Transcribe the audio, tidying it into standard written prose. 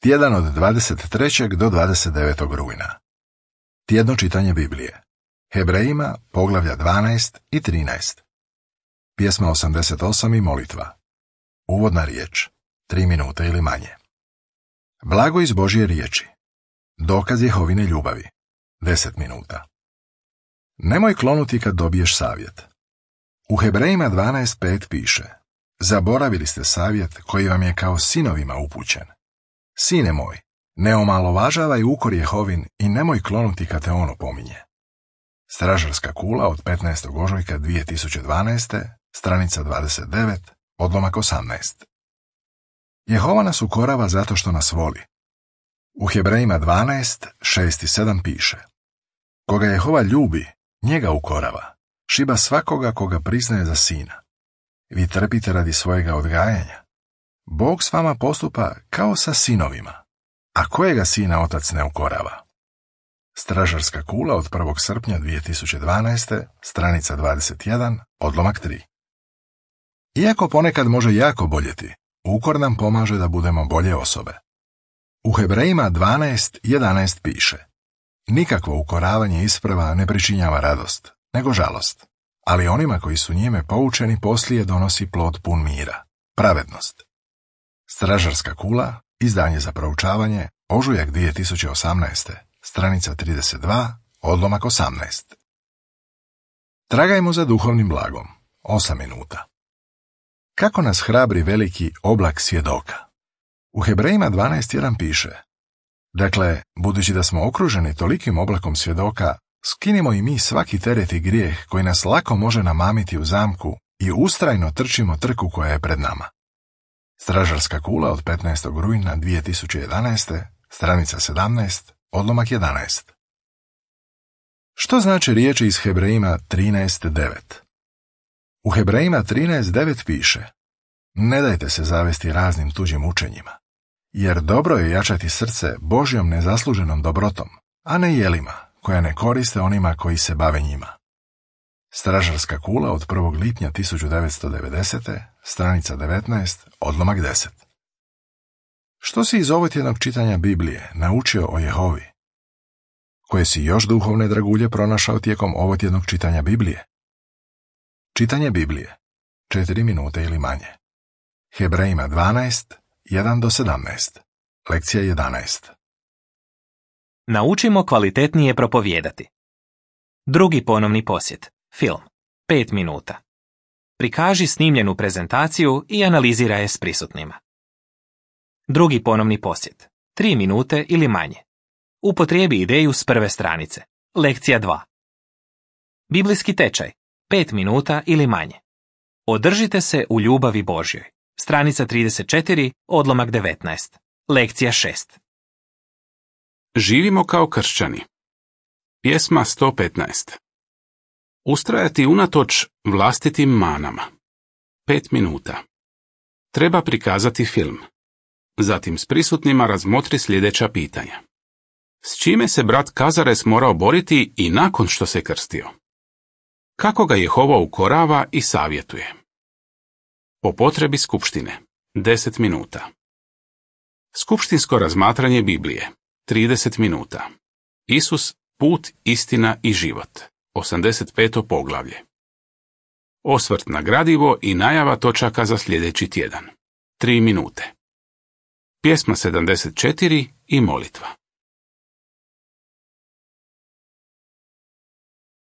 Tjedan od 23. do 29. rujna. Tjedno čitanje Biblije. Hebrejima, poglavlja 12 i 13. Pjesma 88 i molitva. Uvodna riječ. 3 minute ili manje. Blago iz Božje riječi. Dokaz Jehovine ljubavi. 10 minuta. Nemoj klonuti kad dobiješ savjet. U Hebrejima 12.5 piše: zaboravili ste savjet koji vam je kao sinovima upućen. Sine moj, ne omalovažavaj ukor Jehovin i nemoj klonuti kad te on opominje. Stražarska kula od 15. ožujka 2012. stranica 29, odlomak 18. Jehova nas ukorava zato što nas voli. U Hebrejima 12, 6 i 7 piše: koga Jehova ljubi, njega ukorava, šiba svakoga koga priznaje za sina. Vi trpite radi svojega odgajanja. Bog s vama postupa kao sa sinovima. A kojega sina otac ne ukorava? Stražarska kula od 1. srpnja 2012. stranica 21, odlomak 3. Iako ponekad može jako boljeti, ukor nam pomaže da budemo bolje osobe. U Hebrejima 12.11 piše: nikakvo ukoravanje isprava ne pričinjava radost, nego žalost, ali onima koji su njime poučeni poslije donosi plod pun mira, pravednost. Stražarska kula, izdanje za proučavanje, ožujak 2018. stranica 32, odlomak 18. Tragajmo za duhovnim blagom. 8 minuta. Kako nas hrabri veliki oblak svjedoka? U Hebrejima 12.1 piše: dakle, budući da smo okruženi tolikim oblakom svjedoka, skinimo i mi svaki teret i grijeh koji nas lako može namamiti u zamku i ustrajno trčimo trku koja je pred nama. Stražarska kula od 15. rujna 2011. stranica 17, odlomak 11. Što znači riječi iz Hebrejima 13.9? U Hebrejima 13.9 piše: ne dajte se zavesti raznim tuđim učenjima, jer dobro je jačati srce Božjom nezasluženom dobrotom, a ne jelima, koja ne koriste onima koji se bave njima. Stražarska kula od 1. lipnja 1990. stranica 19, odlomak 10. Što si iz ovotjednog čitanja Biblije naučio o Jehovi? Koje si još duhovne dragulje pronašao tijekom ovotjednog čitanja Biblije? Čitanje Biblije. 4 minute ili manje. Hebrejima 12, 1 do 17. Lekcija 11. Naučimo kvalitetnije propovijedati. Drugi ponovni posjet. Film. 5 minuta. Prikaži snimljenu prezentaciju i analiziraj je s prisutnima. Drugi ponovni posjet. 3 minute ili manje. Upotrijebi ideju s prve stranice. Lekcija 2. Biblijski tečaj. 5 minuta ili manje. Održite se u ljubavi Božjoj. Stranica 34, odlomak 19. Lekcija 6. Živimo kao kršćani. Pjesma 115. Ustrajati unatoč vlastitim manama. 5 minuta. Treba prikazati film. Zatim s prisutnima razmotri sljedeća pitanja. S čime se brat Kazares morao boriti i nakon što se krstio? Kako ga Jehova ukorava i savjetuje? Po potrebi skupštine. 10 minuta. Skupštinsko razmatranje Biblije. 30 minuta. Isus, put, istina i život. 85. poglavlje. Osvrt na gradivo i najava točaka za sljedeći tjedan. 3 minute. Pjesma 74 i molitva.